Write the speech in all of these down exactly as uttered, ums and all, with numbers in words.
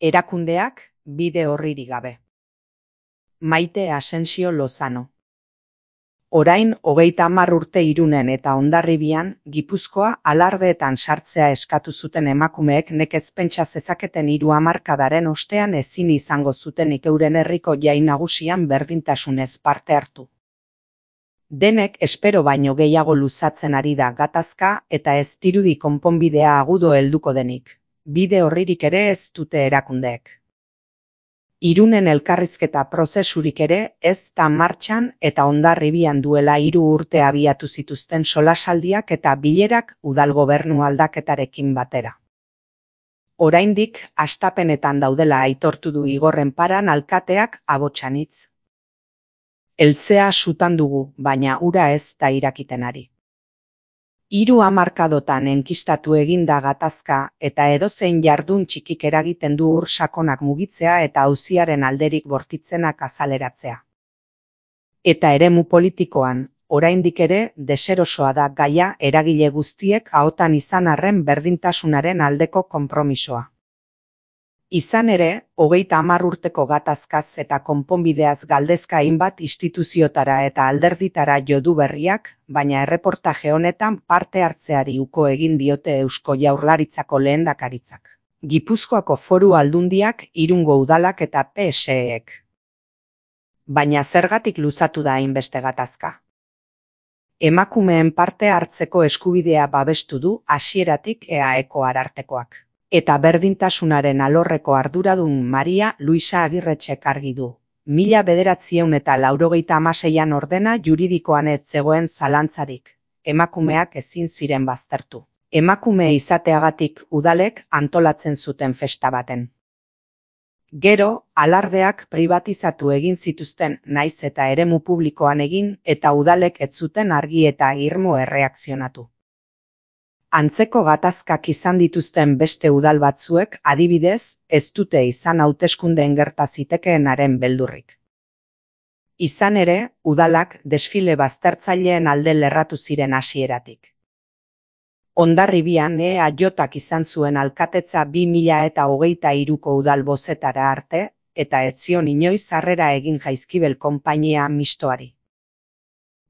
Erakundeak, bide orririk gabe. Maite Asensio Lozano. Orain hogeita hamar urte Irunen eta Hondarribian, Gipuzkoa alardeetan sartzea eskatu zuten emakumeek nekez pentsa zezaketen hiru hamarkadaren ostean ezin izango zutenik euren herriko jai nagusian berdintasunez parte hartu. Denek espero baino gehiago luzatzen ari da gatazka eta ez dirudi konponbidea agudo helduko denik. Bide orririk ere ez dute erakundeek. Irunen elkarrizketa prozesurik ere ez da martxan eta Hondarribian duela hiru urte abiatu zituzten solasaldiak eta bilerak udal gobernu aldaketarekin batera. Oraindik hastapenetan daudela aitortu du Igorren Paran alkateak Abotsanitz. Eltzea sutan dugu, baina ura ez da irakiten ari. Hiru hamarkadotan enkistatu eginda gatazka eta edozein jardun txikik eragiten du ur sakonak mugitzea eta auziaren alderik bortitzenak azaleratzea. Eta eremu politikoan, oraindik ere deserosoa da gaia eragile guztiek ahotan izan arren berdintasunaren aldeko konpromisoa. Izan ere, hogeita hamar urteko gatazkaz eta konponbideaz galdezka hainbat instituziotara eta alderditara jo du berriak, baina erreportaje honetan parte hartzeari uko egin diote Eusko Jaurlaritzako lehendakaritzak, Gipuzkoako Foru Aldundiak, Irungo udalak eta P S E-ek. Baina zergatik luzatu da hainbeste gatazka? Emakumeen parte hartzeko eskubidea babestu du hasieratik E A Eko arartekoak. Eta berdintasunaren alorreko arduradun Maria Luisa Agirretxek argi du. Mila bederatziehun eta laurogeita hamaseian ordena juridikoan ez zegoen zalantzarik. Emakumeak ezin ziren baztertu. Emakume izateagatik udalek antolatzen zuten festa baten. Gero, alardeak pribatizatu egin zituzten naiz eta eremu publikoan egin eta udalek ez zuten argi eta irmo erreakzionatu. Antzeko gatazkak izan dituzten beste udal batzuek, adibidez, ez dute izan hauteskundeen gerta zitekeenaren beldurrik. Izan ere, udalak desfile baztertzaileen alde lerratu ziren hasieratik. Hondarribian E A Jak izan zuen alkatetza bi mila eta hogeita hiruko udal bozetara arte, eta ez zion inoiz harrera egin Jaizkibel konpainia mistoari.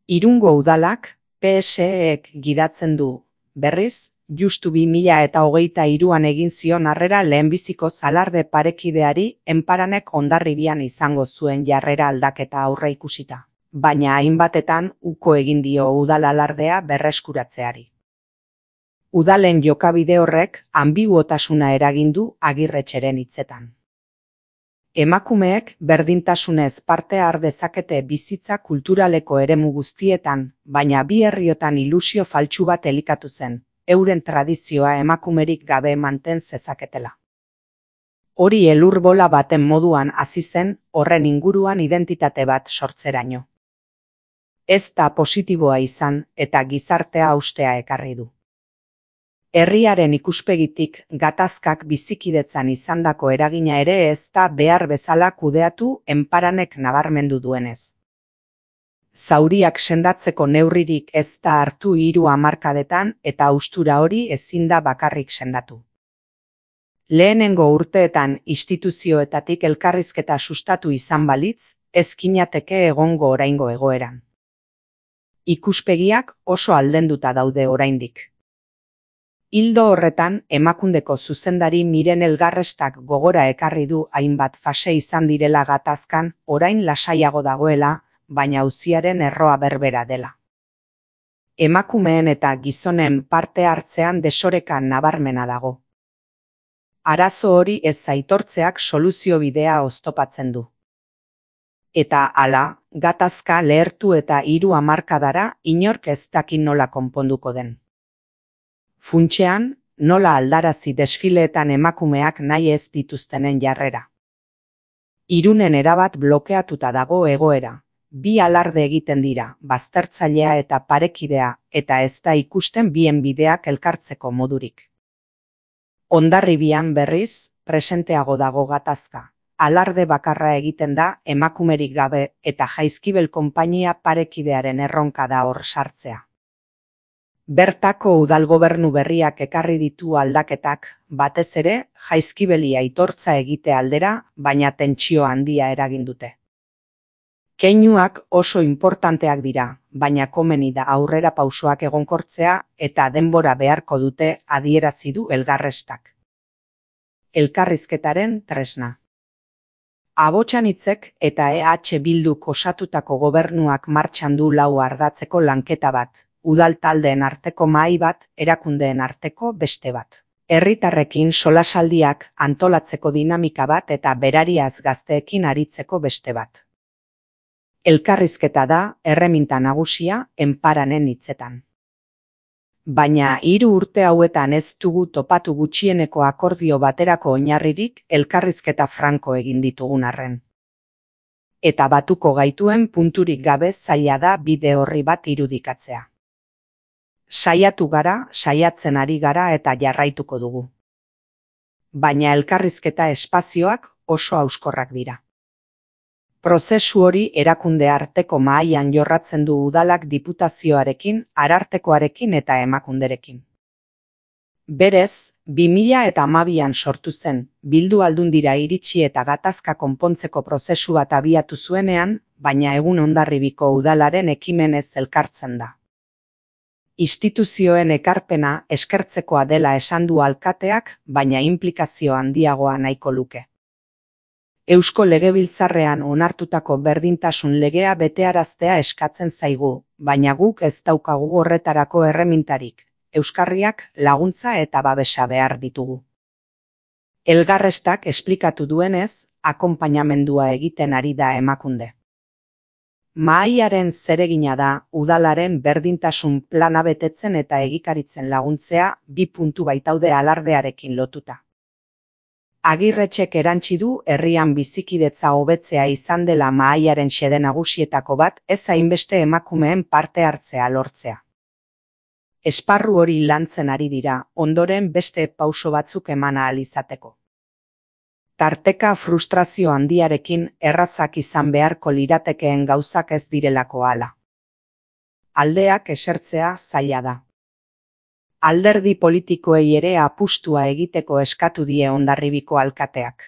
Irungo udalak, P S E-ek gidatzen du. Berriz, justu bi mila eta hogeita hiruan egin zion harrera lehenbizikoz alarde parekideari Enparanek Hondarribian izango zuen jarrera aldaketa aurre ikusita, baina hainbatetan uko egin dio udal alardea berreskuratzeari. Udalen jokabide horrek anbiguotasuna eragin du Agirretxeren hitzetan. Emakumeek berdintasunez parte har dezakete bizitza kulturaleko eremu guztietan, baina bi herriotan ilusio faltsu bat elikatu zen, euren tradizioa emakumerik gabe manten zezaketela. Hori elur bola baten moduan hasi zen, horren inguruan identitate bat sortzeraino. Ez da positiboa izan eta gizartea haustea ekarri du. Herriaren ikuspegitik gatazkak bizikidetzan izandako eragina ere ez da behar bezala kudeatu Enparanek nabarmendu duenez. Zauriak sendatzeko neurririk ez da hartu hiru hamarkadetan eta haustura hori ezin da bakarrik sendatu. Lehenengo urteetan instituzioetatik elkarrizketa sustatu izan balitz, ez ginateke egongo oraingo egoeran. Ikuspegiak oso aldenduta daude oraindik. Ildo horretan, Emakundeko zuzendari Miren Elgarrestak gogora ekarri du hainbat fase izan direla gatazkan, orain lasaiago dagoela, baina auziaren erroa berbera dela. Emakumeen eta gizonen parte hartzean desoreka nabarmena dago. Arazo hori ez aitortzeak soluzio bidea oztopatzen du. Eta hala, gatazka lehertu eta hiru hamarkadara inork ez dakin nola konponduko den. Funtsean, nola aldarazi desfileetan emakumeak nahi ez dituztenen jarrera. Irunen erabat blokeatuta dago egoera. Bi alarde egiten dira, baztertzailea eta parekidea, eta ez da ikusten bien bideak elkartzeko modurik. Hondarribian berriz, presenteago dago gatazka. Alarde bakarra egiten da emakumerik gabe eta Jaizkibel konpainia parekidearen erronka da hor sartzea. Bertako udalgobernu berriak ekarri ditu aldaketak, batez ere, jaizkibeli aitortza egite aldera, baina tentsio handia eragin dute. Keinuak oso inportanteak dira, baina komeni da aurrera pausoak egonkortzea eta denbora beharko dute adierazi du Elkarrestak. Elkarrizketaren tresna. Abotsanitzek eta E H Bilduk osatutako gobernuak martxan du lau ardatzeko lanketa bat, udal taldeen arteko mahai bat, erakundeen arteko beste bat. Herritarrekin solasaldiak antolatzeko dinamika bat eta berariaz gazteekin aritzeko beste bat. Elkarrizketa da erreminta nagusia enparanen hitzetan. Baina hiru urte hauetan ez dugu topatu gutxieneko akordio baterako oinarririk elkarrizketa franko egin ditugun arren. Eta batuko gaituen punturik gabe zaila da bide horri bat irudikatzea. Saiatu gara, saiatzen ari gara eta jarraituko dugu. Baina elkarrizketa espazioak oso hauskorrak dira. Prozesu hori erakunde arteko mahaian jorratzen du udalak diputazioarekin, arartekoarekin eta emakunderekin. Berez, bi mila hamabian sortu zen, Bildu Aldundira iritsi eta gatazka konpontzeko prozesu bat abiatu zuenean, baina egun Hondarribiko udalaren ekimenez elkartzen da. Instituzioen ekarpena eskertzekoa dela esan du alkateak, baina inplikazio handiagoa nahiko luke. Eusko Legebiltzarrean onartutako berdintasun legea betearaztea eskatzen zaigu, baina guk ez daukagu horretarako erremintarik, euskarriak laguntza eta babesa behar ditugu. Elkarrestak esplikatu duenez, akonpainamendua egiten ari da emakunde. Mahaiaren zeregina da udalaren berdintasun plana betetzen eta egikaritzen laguntzea bi puntu baitaude alardearekin lotuta. Agirretxek erantsi du herrian bizikidetza hobetzea izan dela mahaiaren xede nagusietako bat ez hainbeste emakumeen parte hartzea lortzea. Esparru hori lantzen ari dira, ondoren beste pauso batzuk eman ahal izateko. Tarteka frustrazio handiarekin errazak izan beharko liratekeen gauzak ez direlako hala. Aldeak esertzea zaila da. Alderdi politikoei ere apustua egiteko eskatu die Hondarribiko alkateak.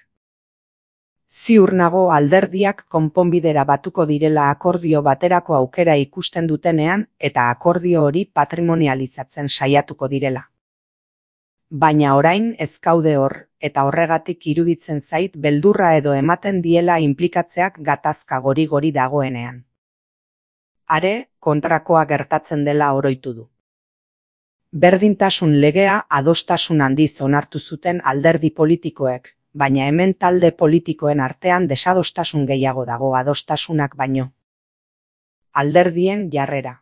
Ziur nago alderdiak konponbidera batuko direla akordio baterako aukera ikusten dutenean eta akordio hori patrimonializatzen saiatuko direla. Baina orain ez gaude hor, eta horregatik iruditzen zait beldurra edo ematen diela inplikatzeak gatazka gori-gori dagoenean. Are, kontrakoa gertatzen dela oroitu du. Berdintasun legea adostasun handiz onartu zuten alderdi politikoek, baina hemen talde politikoen artean desadostasun gehiago dago adostasunak baino. Alderdien jarrera.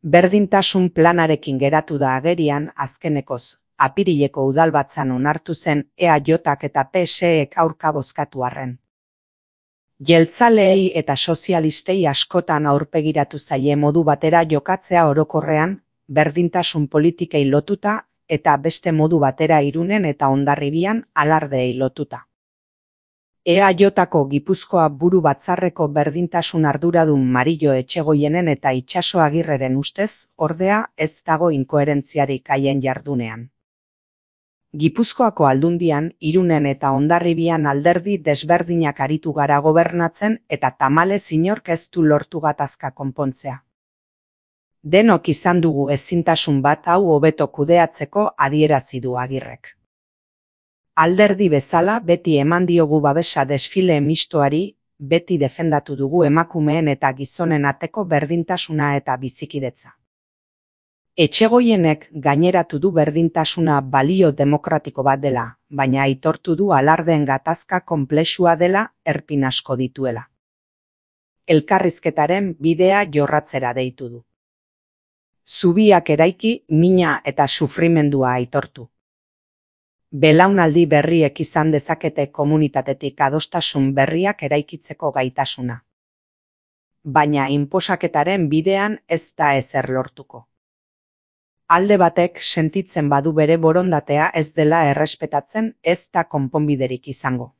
Berdintasun planarekin geratu da agerian azkenekoz, apirileko udalbatzan onartu zen E A Jak eta P S Ek aurka bozkatu arren. Jeltzaleei eta sozialistei askotan aurpegiratu zaie modu batera jokatzea orokorrean, berdintasun politikei lotuta eta beste modu batera Irunen eta Hondarribian alardeei lotuta. E A Jko Gipuzkoa buru batzarreko berdintasun arduradun Marillo Etxegoienen eta Itxaso Agirreren ustez, ordea ez dago inkoherentziarik haien jardunean. Gipuzkoako Aldundian, Irunen eta Hondarribian alderdi desberdinak aritu gara gobernatzen eta tamalez inork ez du lortu gatazka konpontzea. Denok izan dugu ezintasun bat hau hobeto kudeatzeko adierazi du Agirrek. Alderdi bezala beti eman diogu babesa desfile mistoari, beti defendatu dugu emakumeen eta gizonen arteko berdintasuna eta bizikidetza. Etxegoienek gaineratu du berdintasuna balio demokratiko bat dela, baina aitortu du alardeen gatazka konplexua dela erpin asko dituela. Elkarrizketaren bidea jorratzera deitu du. Zubiak eraiki, mina eta sufrimendua aitortu. Belaunaldi berriek izan dezakete komunitatetik adostasun berriak eraikitzeko gaitasuna. Baina inposaketaren bidean ez da ezer lortuko. Alde batek sentitzen badu bere borondatea ez dela errespetatzen ez da konponbiderik izango.